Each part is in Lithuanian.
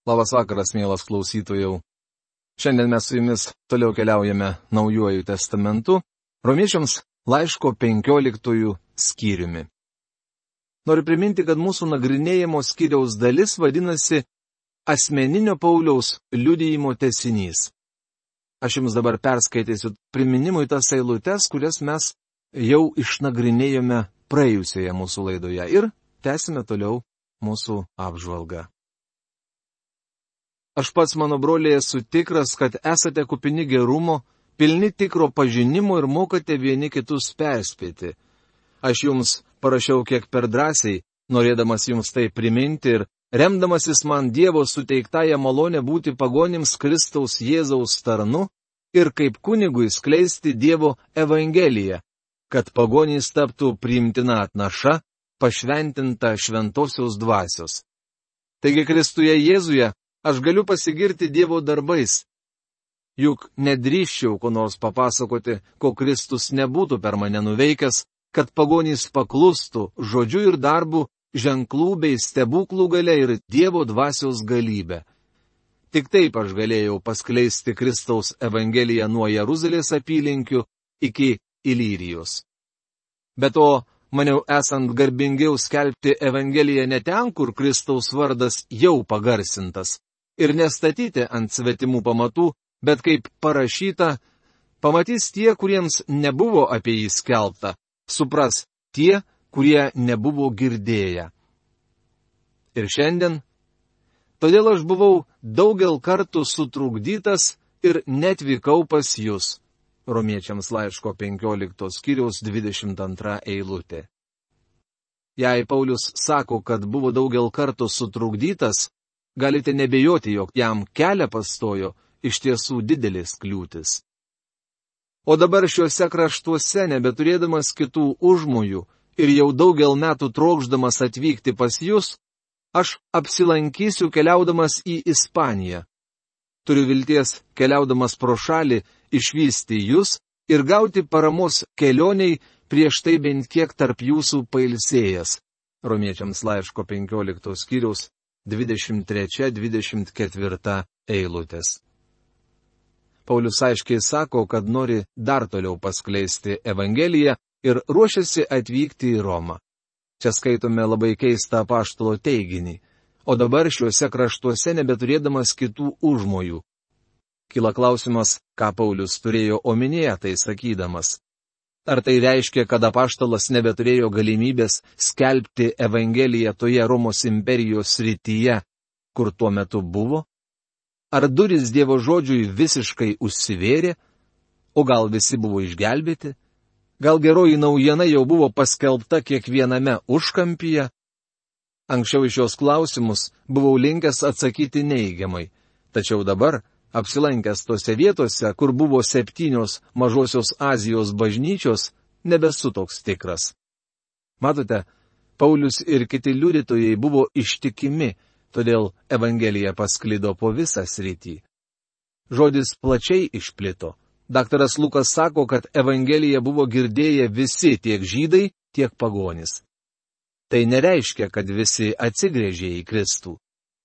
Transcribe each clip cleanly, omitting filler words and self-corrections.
Labas vakaras, mielas klausytojau. Šiandien mes su jumis toliau keliaujame Naujuoju testamentu, Romiečiams laiško 15 skyriumi. Noriu priminti, kad mūsų nagrinėjimo skyriaus dalis vadinasi asmeninio Pauliaus liudijimo tęsinys. Aš jums dabar perskaitysiu priminimui tas eilutes, kurias mes jau išnagrinėjome praėjusioje mūsų laidoje ir tęsime toliau mūsų apžvalgą. Aš pats, mano broliai, esu tikras, kad esate kupini gerumo, pilni tikro pažinimo ir mokate vieni kitus perspėti. Aš jums parašiau kiek per drąsiai, norėdamas jums tai priminti ir remdamasis man Dievo suteiktąją malonę būti pagonims Kristaus Jėzaus tarnu ir kaip kunigui skleisti Dievo evangeliją, kad pagonys taptų priimtina atnaša, pašventinta šventosios dvasios. Taigi Kristuje Jėzuje aš galiu pasigirti Dievo darbais. Juk nedrįščiau ko nors papasakoti, ko Kristus nebūtų per mane nuveikęs, kad pagonys paklustų žodžiu ir darbu, ženklų bei stebuklų galia ir Dievo dvasios galybė. Tik taip aš galėjau paskleisti Kristaus evangeliją nuo Jeruzalės apylinkių iki Ilyrijos. Be to, maniau esant garbingiau skelbti evangeliją ne ten, kur Kristaus vardas jau pagarsintas, ir nestatyti ant svetimų pamatų, bet kaip parašyta, pamatys tie, kuriems nebuvo apie jį skelbta, supras tie, kurie nebuvo girdėję. Ir šiandien, todėl aš buvau daugel kartų sutrukdytas ir netvykau pas jūs. Romiečiams laiško 15 skyriaus 22 eilutė. Jei Paulius sako, kad buvo daugel kartų sutrukdytas, galite nebejoti, jog jam kelią pastojo iš tiesų didelės kliūtis. O dabar šiuose kraštuose, nebeturėdamas kitų užmojų ir jau daugel metų trokšdamas atvykti pas jūs, aš apsilankysiu keliaudamas į Ispaniją. Turiu vilties, keliaudamas pro šalį, išvysti jūs ir gauti paramos kelioniai prieš tai bent kiek tarp jūsų pailsėjęs. Romiečiams laiško 15 skyriaus 23-24 eilutės. Paulius aiškiai sako, kad nori dar toliau paskleisti evangeliją ir ruošiasi atvykti į Romą. Čia skaitome labai keistą apaštalo teiginį, o dabar šiuose kraštuose nebeturėdamas kitų užmojų. Kyla klausimas, ką Paulius turėjo omenyje tai sakydamas. Ar tai reiškia, kad apaštalas nebeturėjo galimybės skelbti evangeliją toje Romos imperijos srityje, kur tuo metu buvo? Ar durys Dievo žodžiui visiškai užsivėrė, o gal visi buvo išgelbėti? Gal geroji naujiena jau buvo paskelbta kiekviename užkampyje? Anksčiau iš šios klausimus buvau linkęs atsakyti neigiamai, tačiau dabar, apsilankęs tose vietose, kur buvo 7 Mažosios Azijos bažnyčios, nebesu toks tikras. Matote, Paulius ir kiti liudytojai buvo ištikimi, todėl evangelija pasklido po visą sritį. Žodis plačiai išplito. Daktaras Lukas sako, kad evangeliją buvo girdėję visi, tiek žydai, tiek pagonys. Tai nereiškia, kad visi atsigręžė į Kristų.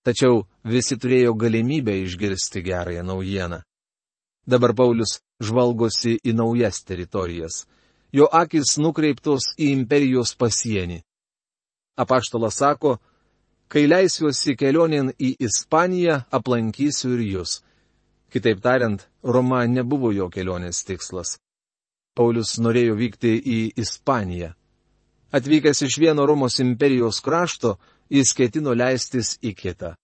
Tačiau visi turėjo galimybę išgirsti gerąją naujieną. Dabar Paulius žvalgosi į naujas teritorijas. Jo akis nukreiptos į imperijos pasienį. Apaštalas sako, kai leisiuosi kelionėn į Ispaniją, aplankysiu ir jūs. Kitaip tariant, Roma nebuvo jo kelionės tikslas. Paulius norėjo vykti į Ispaniją. Atvykęs iš vieno Romos imperijos krašto, jis ketino leistis į kitą.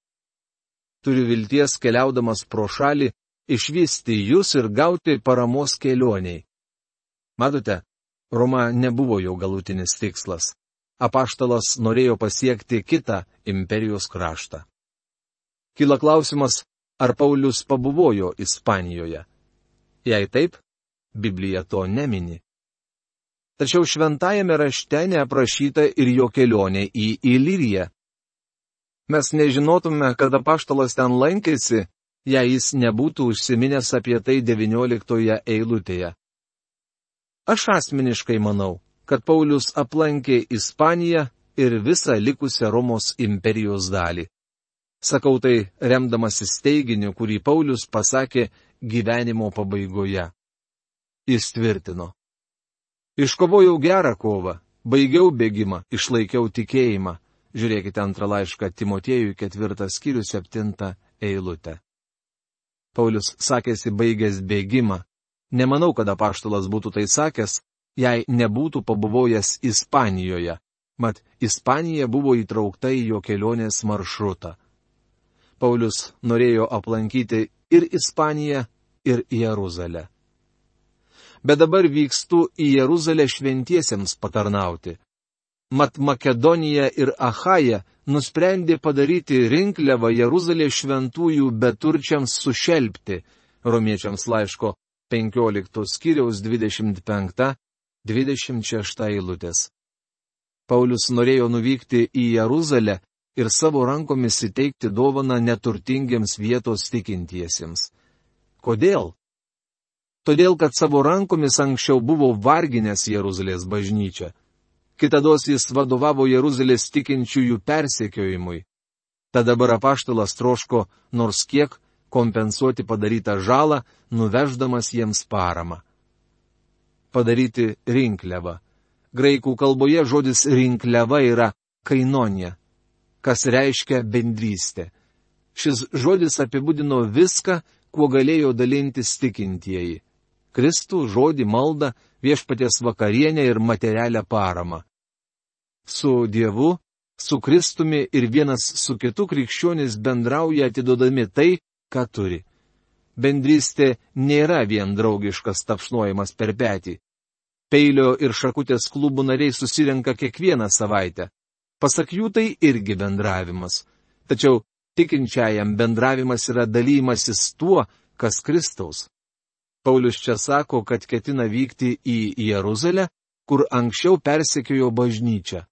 Turiu vilties, keliaudamas pro šalį, išvysti jūs ir gauti paramos kelioniai. Matote, Roma nebuvo jau galutinis tikslas. Apaštalas norėjo pasiekti kitą imperijos kraštą. Kyla klausimas, ar Paulius pabuvojo Ispanijoje. Jei taip, Biblija to nemini. Tačiau šventajame rašte neaprašyta ir jo kelionė į Ilyriją. Mes nežinotume, kad apaštalas ten lankėsi, jei jis nebūtų užsiminęs apie tai 19 eilutėje. Aš asmeniškai manau, kad Paulius aplankė Ispaniją ir visą likusią Romos imperijos dalį. Sakau tai remdamasis teiginiu, kurį Paulius pasakė gyvenimo pabaigoje. Jis tvirtino: Iškovojau gerą kovą, baigiau bėgimą, išlaikiau tikėjimą. Žiūrėkite antrą laišką Timotiejui 4 skyrius 7 eilutę. Paulius sakėsi baigęs bėgimą. Nemanau, kad apaštalas būtų tai sakęs, jei nebūtų pabuvojęs Ispanijoje. Mat, Ispanija buvo įtraukta į jo kelionės maršrutą. Paulius norėjo aplankyti ir Ispaniją, ir Jeruzalę. Bet dabar vykstu į Jeruzalę šventiesiems patarnauti. Mat Makedonija ir Achaja nusprendė padaryti rinkliavą Jeruzalės šventųjų beturčiams sušelpti. Romiečiams laiško 15 skyriaus 25-26 eilutės. Paulius norėjo nuvykti į Jeruzalę ir savo rankomis įteikti dovaną neturtingiems vietos tikintiesiems. Kodėl? Todėl, kad savo rankomis anksčiau buvo varginęs Jeruzalės bažnyčią. Kitados jis vadovavo Jeruzalės tikinčiųjų persekiojimui. Tad dabar apaštalas troško nors kiek kompensuoti padarytą žalą, nuveždamas jiems paramą. Padaryti rinkliavą. Graikų kalboje žodis rinkliava yra kainonija, kas reiškia bendrystė. Šis žodis apibūdino viską, kuo galėjo dalintis tikintieji. Kristų, žodį, maldą, viešpaties vakarienę ir materialią paramą. Su Dievu, su Kristumi ir vienas su kitu krikščionys bendrauja atidodami tai, ką turi. Bendrystė nėra vien draugiškas tapšnojimas per petį. Peilio ir šakutės klubų nariai susirenka kiekvieną savaitę. Pasak jų tai irgi bendravimas. Tačiau tikinčiajam bendravimas yra dalymasis tuo, kas Kristaus. Paulius čia sako, kad ketina vykti į Jeruzalę, kur anksčiau persekiojo bažnyčią.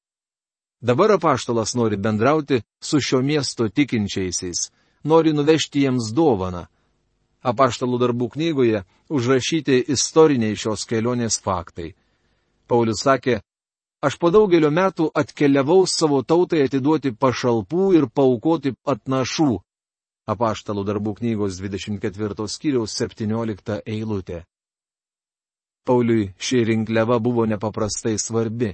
Dabar apaštalas nori bendrauti su šio miesto tikinčiaisiais, nori nuvežti jiems dovaną. Apaštalų darbų knygoje užrašyti istoriniai šios kelionės faktai. Paulius sakė: Aš po daugelio metų atkeliavau savo tautai atiduoti pašalpų ir paaukoti atnašų. Apaštalų darbų knygos 24 skyriaus 17 eilutė. Pauliui ši rinkliava buvo nepaprastai svarbi.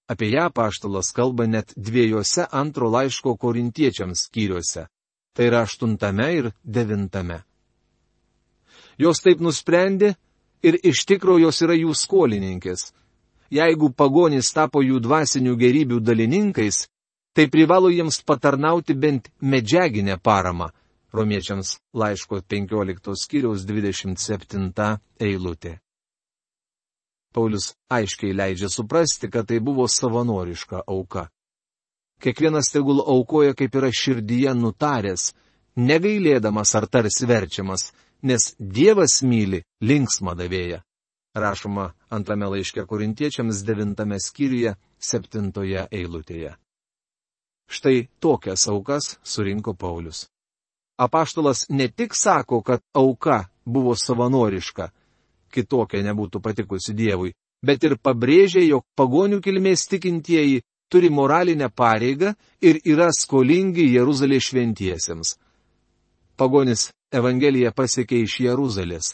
Apie ją apaštalas kalba net 2 antro laiško korintiečiams skyriuose. Tai yra 8 ir 9. Jos taip nusprendė ir iš tikro jos yra jų skolininkės. Jeigu pagonys tapo jų dvasinių gerybių dalininkais, tai privalo jiems patarnauti bent medžiaginę paramą. Romiečiams laiško 15 skyriaus 27 eilutė. Paulius aiškiai leidžia suprasti, kad tai buvo savanoriška auka. Kiekvienas tegul aukoja, kaip yra širdyje nutaręs, negailėdamas ar tarsi verčiamas, nes Dievas myli linksmą davėją. Rašoma 2 laiške korintiečiams 9 skyriuje 7 eilutėje. Štai tokias aukas surinko Paulius. Apaštalas ne tik sako, kad auka buvo savanoriška, kitokia nebūtų patikusi Dievui, bet ir pabrėžia, jog pagonių kilmės tikintieji turi moralinę pareigą ir yra skolingi Jeruzalės šventiesiems. Pagonis Evangeliją pasiekė iš Jeruzalės.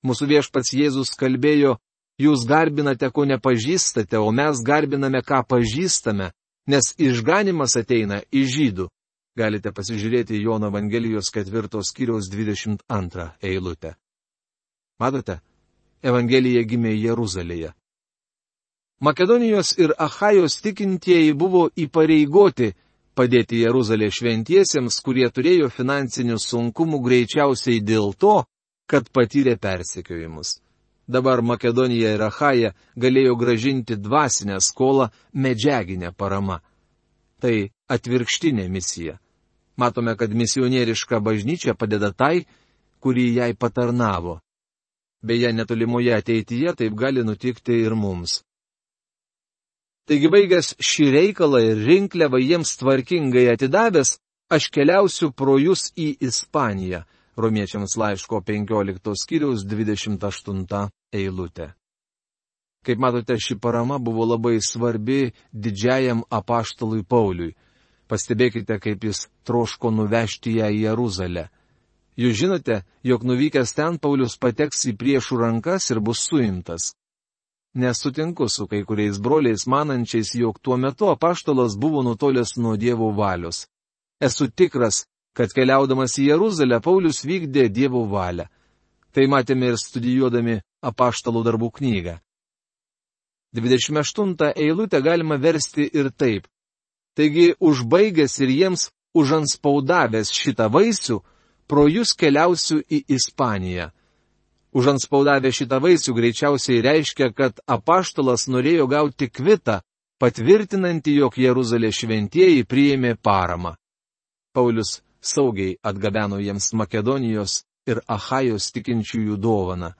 Mūsų viešpats Jėzus kalbėjo: Jūs garbinate, ko nepažįstate, o mes garbiname, ką pažįstame, nes išganimas ateina iš žydų. Galite pasižiūrėti Jono Evangelijos 4 skyriaus 22 eilutę. Matote, Evangelija gimė Jeruzalėje. Makedonijos ir Achajos tikintieji buvo įpareigoti padėti Jeruzalės šventiesiems, kurie turėjo finansinių sunkumų greičiausiai dėl to, kad patyrė persekiojimus. Dabar Makedonija ir Achaja galėjo gražinti dvasinę skolą medžiaginę paramą. Tai atvirkštinė misija. Matome, kad misionieriška bažnyčia padeda tai, kuri jai patarnavo. Beje, netolimoje ateityje taip gali nutikti ir mums. Taigi, baigęs šį reikalą ir rinkliavą jiems tvarkingai atidavęs, aš keliausiu pro jūs į Ispaniją. Romiečiams laiško 15 skyriaus 28 eilutė. Kaip matote, ši parama buvo labai svarbi didžiajam apaštalui Pauliui. Pastebėkite, kaip jis troško nuvežti ją į Jeruzalę. Jūs žinote, jog nuvykęs ten Paulius pateks į priešų rankas ir bus suimtas. Nesutinku su kai kuriais broliais manančiais, jog tuo metu apaštalas buvo nutolęs nuo Dievo valios. Esu tikras, kad keliaudamas į Jeruzalę Paulius vykdė Dievo valią. Tai matėme ir studijuodami apaštalų darbų knygą. 28 eilutę galima versti ir taip. Taigi, užbaigęs ir jiems užanspaudavęs šitą vaisių, pro jūs keliausiu į Ispaniją. Užanspaudavę šitą vaisių greičiausiai reiškia, kad apaštalas norėjo gauti kvitą, patvirtinantį, jog Jeruzalės šventieji priėmė paramą. Paulius saugiai atgabeno jiems Makedonijos ir Achajos tikinčiųjų dovaną.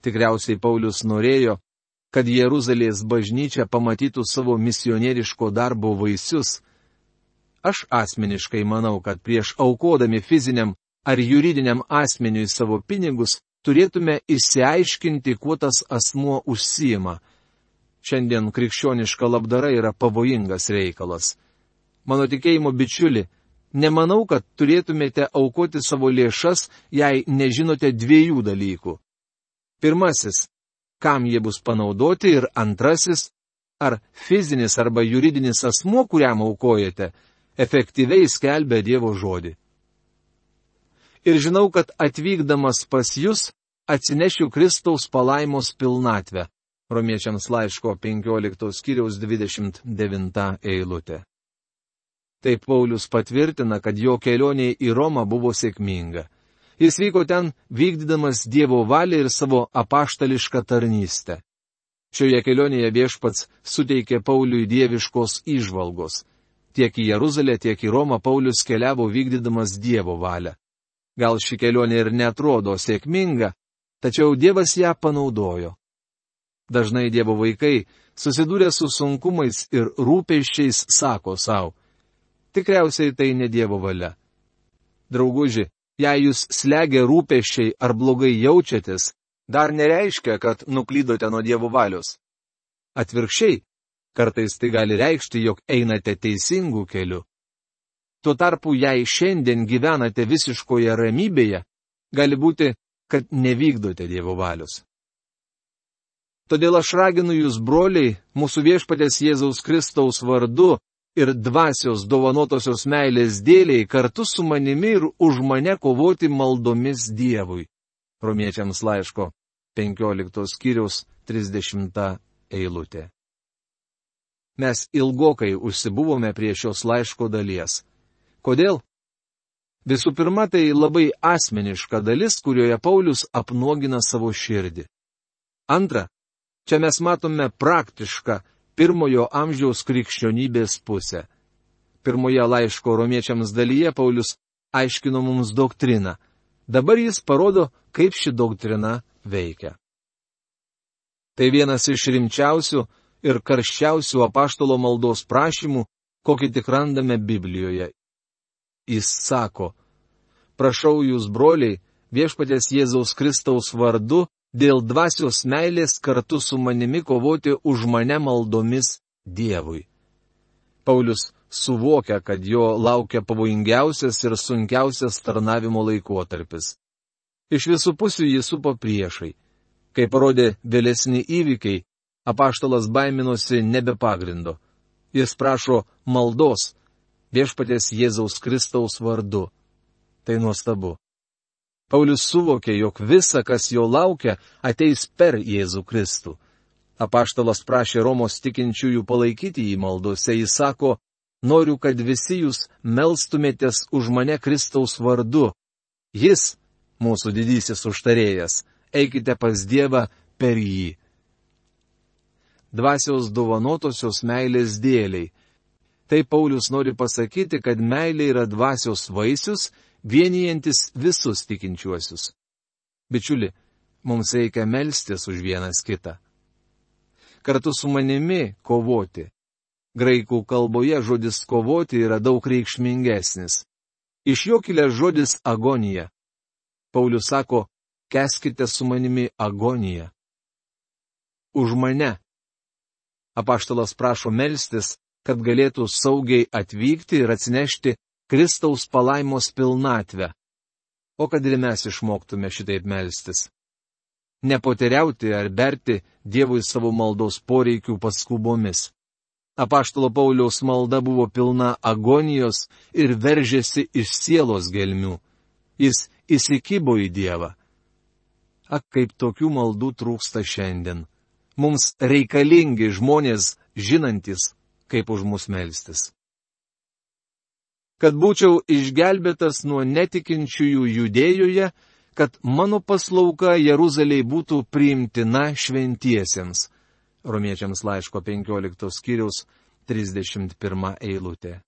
Tikriausiai Paulius norėjo, kad Jeruzalės bažnyčia pamatytų savo misionieriško darbo vaisius. Aš asmeniškai manau, kad prieš aukodami fiziniam ar juridiniam asmeniui savo pinigus, turėtume išsiaiškinti, kuo tas asmuo užsiima. Šiandien krikščioniška labdara yra pavojingas reikalas. Mano tikėjimo bičiuli, nemanau, kad turėtumėte aukoti savo lėšas, jei nežinote dviejų dalykų. Pirmasis, kam jie bus panaudoti, ir antrasis, ar fizinis arba juridinis asmuo, kuriam aukojate, efektyviai skelbia Dievo žodį. Ir žinau, kad atvykdamas pas jūs atsinešiu Kristaus palaimos pilnatvę. Romiečiams laiško 15 skyriaus 29 eilutė. Taip Paulius patvirtina, kad jo kelionė į Romą buvo sėkminga. Jis vyko ten vykdydamas Dievo valią ir savo apaštališką tarnystę. Šioje kelionėje Viešpats suteikė Pauliui dieviškos įžvalgos. Tiek į Jeruzalę, tiek į Romą Paulius keliavo vykdydamas Dievo valią. Gal ši kelionė ir netrodo sėkminga, tačiau Dievas ją panaudojo. Dažnai Dievo vaikai, susidūrę su sunkumais ir rūpesčiais, sako savo: tikriausiai tai ne Dievo valia. Drauguži, jei jūs slegia rūpesčiai ar blogai jaučiatės, dar nereiškia, kad nuklydote nuo Dievo valios. Atvirkščiai, kartais tai gali reikšti, jog einate teisingų kelių. Tuo tarpu, jei šiandien gyvenate visiškoje ramybėje, gali būti, kad nevykdote Dievo valios. Todėl aš raginu jūs, broliai, mūsų Viešpaties Jėzaus Kristaus vardu ir dvasios dovanotosios meilės dėliai kartu su manimi ir už mane kovoti maldomis Dievui. Romiečiams laiško 15 skyriaus 30 eilutė. Mes ilgokai užsibuvome prie šios laiško dalies. Kodėl? Visų pirma, tai labai asmeniška dalis, kurioje Paulius apnuogina savo širdį. Antra, čia mes matome praktišką pirmojo amžiaus krikščionybės pusę. Pirmoje laiško romiečiams dalyje Paulius aiškino mums doktriną. Dabar jis parodo, kaip ši doktrina veikia. Tai vienas iš rimčiausių ir karščiausių apaštalo maldos prašymų, kokį tik randame Biblijoje. Jis sako: prašau jūs, broliai, Viešpaties Jėzaus Kristaus vardu, dėl dvasios meilės kartu su manimi kovoti už mane maldomis Dievui. Paulius suvokia, kad jo laukia pavojingiausias ir sunkiausias tarnavimo laikotarpis. Iš visų pusių jį supo priešai. Kai parodė vėlesni įvykiai, apaštalas baiminosi nebe pagrindo. Jis prašo maldos Viešpaties Jėzaus Kristaus vardu. Tai nuostabu. Paulius suvokė, jog visa, kas jo laukia, ateis per Jėzų Kristų. Apaštalas prašė Romos tikinčiųjų palaikyti jį maldose. Jis sako: noriu, kad visi jūs melstumėtės už mane Kristaus vardu. Jis, mūsų didysis užtarėjas, eikite pas Dievą per jį. Dvasios dovanotosios meilės dėliai. Tai Paulius nori pasakyti, kad meilė yra dvasios vaisius, vienijantis visus tikinčiuosius. Bičiuli, mums reikia melstis už vienas kitą. Kartu su manimi kovoti. Graikų kalboje žodis kovoti yra daug reikšmingesnis. Iš jo kilęs žodis agonija. Paulius sako: kęskite su manimi agoniją. Už mane. Apaštalas prašo melstis, kad galėtų saugiai atvykti ir atsinešti Kristaus palaimos pilnatvę. O kad ir mes išmoktume šitaip melstis. Nepoteriauti ar berti Dievui savo maldos poreikių paskubomis. Apaštalo Pauliaus malda buvo pilna agonijos ir veržėsi iš sielos gelmių. Jis įsikibo į Dievą. Ak, kaip tokių maldų trūksta šiandien. Mums reikalingi žmonės žinantis, kaip už mus melstis. Kad būčiau išgelbėtas nuo netikinčiųjų Judėjoje, kad mano paslauga Jeruzalėje būtų priimtina šventiesiems. Romiečiams laiško 15 skyriaus 31 eilutė.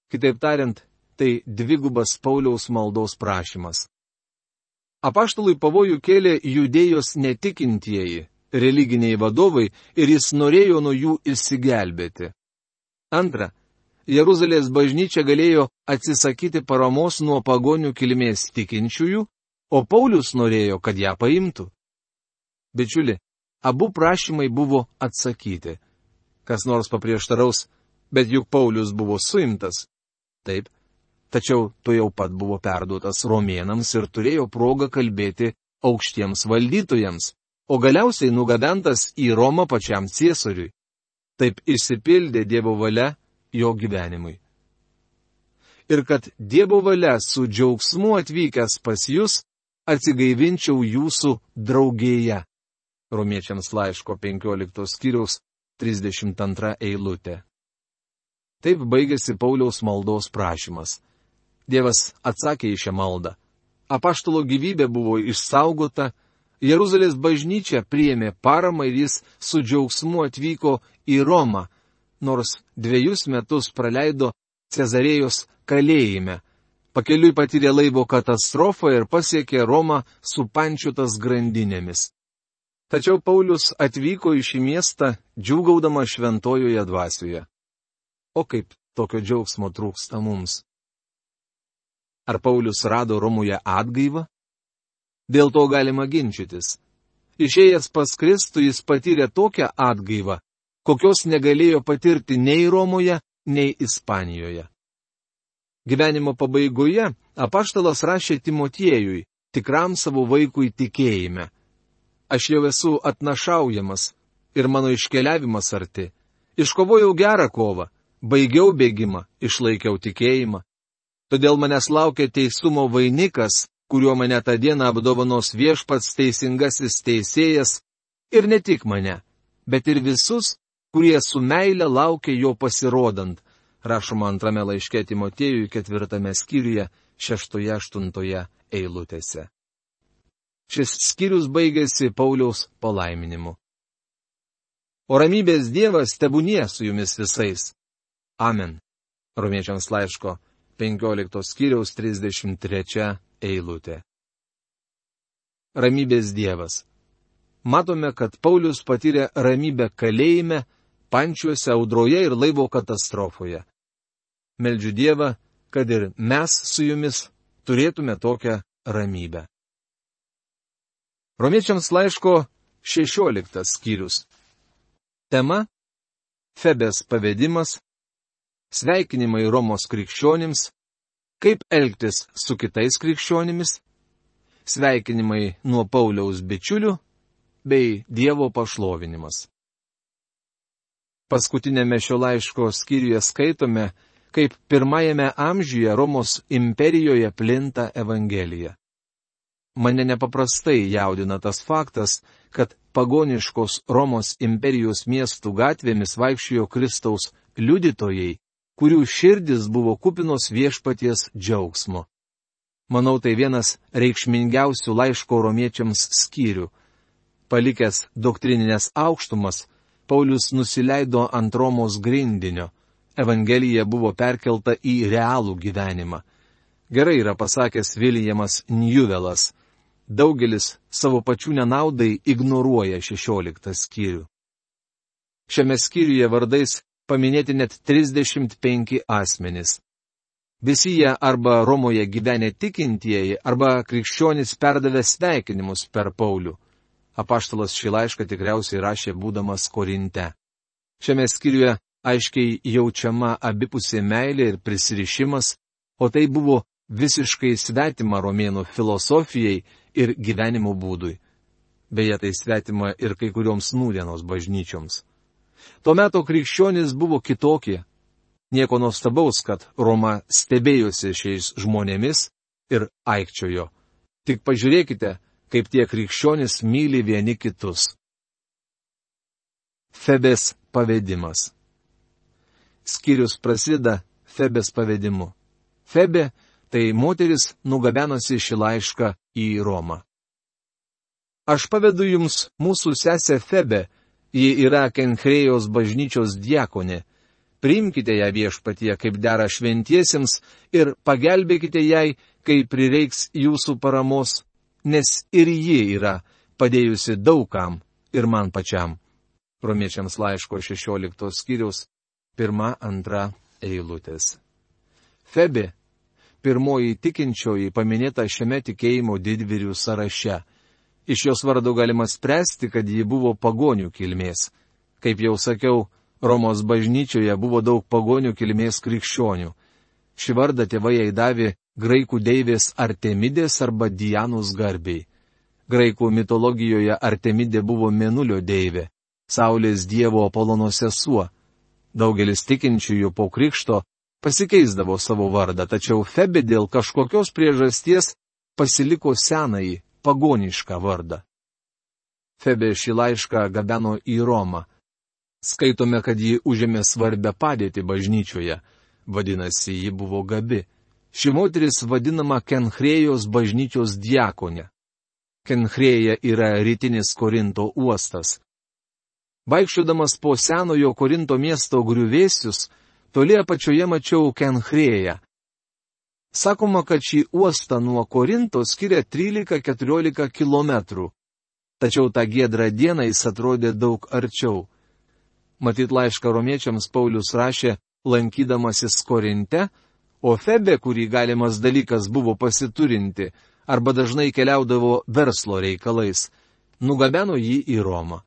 Kitaip tariant, tai dvigubas Pauliaus maldos prašymas. Apaštalui pavojų kėlė Judėjos netikintieji, religiniai vadovai, ir jis norėjo nuo jų išsigelbėti. Antra, Jeruzalės bažnyčia galėjo atsisakyti paramos nuo pagonių kilmės tikinčiųjų, o Paulius norėjo, kad ją paimtų. Bičiuli, abu prašymai buvo atsakyti. Kas nors paprieštaraus, bet juk Paulius buvo suimtas. Taip, tačiau tu jau pat buvo perduotas romėnams ir turėjo progą kalbėti aukštiems valdytojams, o galiausiai nugabentas į Romą pačiam ciesoriui. Taip išsipildė Dievo valia jo gyvenimui. Ir kad Dievo valia su džiaugsmu atvykęs pas jūs, atsigaivinčiau jūsų draugėje. Romiečiams laiško 15 skyriaus 32 eilutė. Taip baigėsi Pauliaus maldos prašymas. Dievas atsakė į šią maldą. Apaštalo gyvybė buvo išsaugota, Jeruzalės bažnyčia priėmė paramą ir jis su džiaugsmu atvyko į Romą, nors 2 metus praleido Cezarėjos kalėjime. Pakeliui patyrė laivo katastrofą ir pasiekė Romą supančiotas grandinėmis. Tačiau Paulius atvyko į šį miestą džiūgaudama šventojoje dvasioje. O kaip tokio džiaugsmo trūksta mums? Ar Paulius rado Romoje atgaivą? Dėl to galima ginčytis. Išėjęs pas Kristų jis patyrė tokią atgaivą, kokios negalėjo patirti nei Romoje, nei Ispanijoje. Gyvenimo pabaigoje apaštalas rašė Timotiejui, tikram savo vaikui tikėjime. Aš jau esu atnašaujamas ir mano iškeliavimas arti. Iškovojau gerą kovą, baigiau bėgimą, išlaikiau tikėjimą. Todėl manęs laukia teisumo vainikas, kuriuo mane tą dieną apdovanos viešpats teisingasis teisėjas, ir ne tik mane, bet ir visus, kurie su meile laukia jo pasirodant, rašoma 2 laiške Timotiejui 4 skyriuje 6-8 eilutėse. Šis skyrius baigėsi Pauliaus palaiminimu. O ramybės Dievas tebūnie su jumis visais. Amen. Romiečiams laiško 15 skyriaus 33 eilutė. Ramybės Dievas. Matome, kad Paulius patyrė ramybę kalėjime, pančiuose, audroje ir laivo katastrofoje. Meldžiu Dievą, kad ir mes su jumis turėtume tokią ramybę. Romiečiams laiško 16 skyrius. Tema – Febės pavedimas, sveikinimai Romos krikščionims, kaip elgtis su kitais krikščionimis, sveikinimai nuo Pauliaus bičiulių bei Dievo pašlovinimas. Paskutinėme šio laiško skyriuje skaitome, kaip 1 amžiuje Romos imperijoje plinta Evangelija. Mane nepaprastai jaudina tas faktas, kad pagoniškos Romos imperijos miestų gatvėmis vaikščiojo Kristaus liudytojai, kurių širdis buvo kupinos viešpaties džiaugsmo. Manau, tai vienas reikšmingiausių laiško romiečiams skyrių. Palikęs doktrininės aukštumas, Paulius nusileido ant Romos grindinio. Evangelija buvo perkelta į realų gyvenimą. Gerai yra pasakęs Viljamas Njuvelas. Daugelis savo pačių nenaudai ignoruoja 16 skyrių. Šiame skyriuje vardais paminėti net 35 asmenys. Visi jie arba Romoje gyvenę tikintieji, arba krikščionys perdavė sveikinimus per Paulių. Apaštalas šį laišką tikriausiai rašė būdamas Korinte. Šiame skyriuje aiškiai jaučiama abipusė meilė ir prisirišimas, o tai buvo visiškai svetima romėnų filosofijai ir gyvenimo būdui. Beje, tai svetima ir kai kurioms nūdienos bažnyčioms. Tuo metu krikščionys buvo kitokie. Nieko nuostabaus, kad Roma stebėjosi šiais žmonėmis ir aikčiojo. Tik pažiūrėkite, kaip tie krikščionys myli vieni kitus. Febės pavedimas. Skyrius prasideda Febės pavedimu. Febė tai moteris nugabenusi šį laišką į Romą. Aš pavedu jums mūsų sesę Febę, ji yra Kenkrėjos bažnyčios diakonė. Priimkite ją viešpatyje kaip dera šventiesiems ir pagelbėkite jai, kai prireiks jūsų paramos, nes ir ji yra padėjusi daugam ir man pačiam. Romiečiams laiško 16 skyriaus 1-2 eilutės. Febė, pirmoji tikinčioji paminėta šiame tikėjimo didvyrių sąraše. Iš jos vardo galima spręsti, kad ji buvo pagonių kilmės. Kaip jau sakiau, Romos bažnyčioje buvo daug pagonių kilmės krikščionių. Šį vardą tėvai jai davė graikų deivės Artemidės arba Dianos garbei. Graikų mitologijoje Artemidė buvo mėnulio deivė, saulės dievo Apolono sesuo. Daugelis tikinčiųjų po krikšto pasikeisdavo savo vardą, tačiau Febė dėl kažkokios priežasties pasiliko senąjį, pagonišką vardą. Febė šį laišką gabeno į Romą. Skaitome, kad ji užėmė svarbę padėtį bažnyčioje. Vadinasi, ji buvo gabi. Ši moteris vadinama Kenkrėjos bažnyčios diakonė. Kenkrėja yra rytinis Korinto uostas. Vaikščiodamas po senojo Korinto miesto griuvėsius, toli apačioje mačiau Kenkrėją. Sakoma, kad šį uostą nuo Korinto skiria 13-14 kilometrų. Tačiau tą giedrą dieną jis atrodė daug arčiau. Matyt, laišką romiečiams Paulius rašė, lankydamasis Korinte, o Febė, kurį galimas dalykas buvo pasiturinti, arba dažnai keliaudavo verslo reikalais, nugabeno jį į Romą.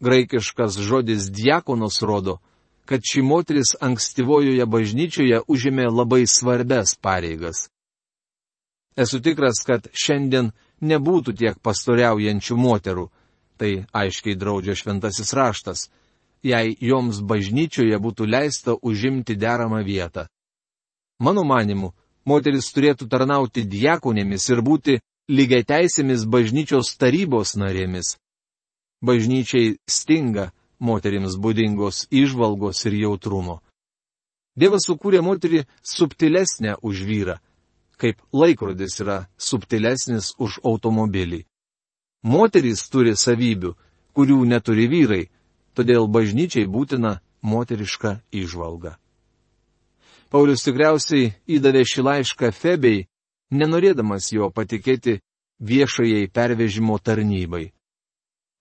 Graikiškas žodis diakonos rodo, kad ši moteris ankstyvojoje bažnyčioje užėmė labai svarbias pareigas. Esu tikras, kad šiandien nebūtų tiek pastoriaujančių moterų, tai aiškiai draudžia šventasis raštas, jei joms bažnyčioje būtų leista užimti deramą vietą. Mano manimu, moteris turėtų tarnauti diakonėmis ir būti lygiateisėmis bažnyčios tarybos narėmis. Bažnyčiai stinga moterims būdingos įžvalgos ir jautrumo. Dievas sukūrė moterį subtilesnę už vyrą, kaip laikrodis yra subtilesnis už automobilį. Moterys turi savybių, kurių neturi vyrai, todėl bažnyčiai būtina moteriška įžvalga. Paulius tikriausiai įdavė šį laišką Febei, nenorėdamas jo patikėti viešajai pervežimo tarnybai.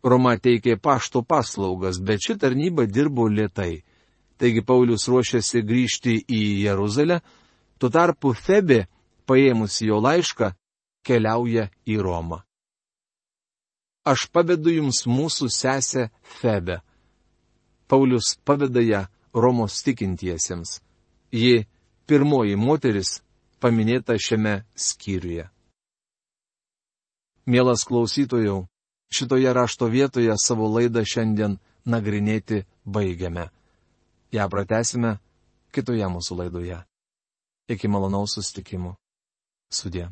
Roma teikė pašto paslaugas, bet ši tarnyba dirbo lėtai. Taigi Paulius ruošiasi grįžti į Jeruzalę, tuo tarpu Febė, paėmusi jo laišką, keliauja į Romą. Aš pavedu jums mūsų sesę Febę. Paulius paveda ją Romos tikintiesiems. Ji pirmoji moteris paminėta šiame skyriuje. Mielas klausytojau, šitoje rašto vietoje savo laidą šiandien nagrinėti baigiame. Ja pratęsime kitoje mūsų laidoje. Iki malonaus susitikimų. Sudie.